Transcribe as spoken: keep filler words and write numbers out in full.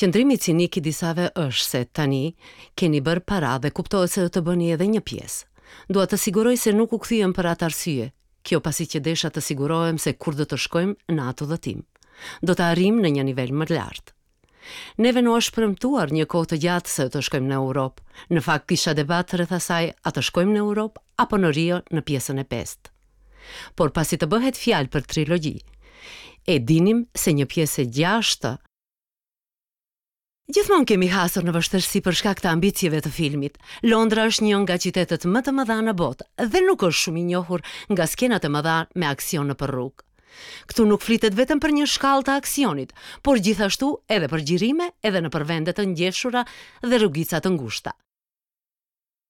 Qëndrimi cinik i disave është se tani keni bërë para dhe kuptohet se do të bëni edhe një pjesë. Dua të siguroj se nuk u kthyem për atë arsye. Kjo pasi që desha të sigurohem se kur do të shkojmë në atë udhëtim, do të arrijmë në një nivel më lart. Neve na është premtuar një kohë të gjatë se do të shkojmë në Europë. Në fakt kisha debat rreth asaj a të shkojmë në Europë apo në Rio në pjesën e pestë. Por pasi të bëhet fjalë për trilogji, e dinim se një pjesë e gjashtë. Gjithmonë kemi hasur në vështirësi për shkak të ambicieve të filmit. Londra është një nga qytetet më të mëdha në botë dhe nuk është shumë i njohur nga skenat e mëdha me aksion nëpër rrugë. Këtu nuk flitet vetëm për një shkallë të aksionit, por gjithashtu edhe për xhirime edhe nëpër vende të ngjeshura dhe rrugica të ngushta.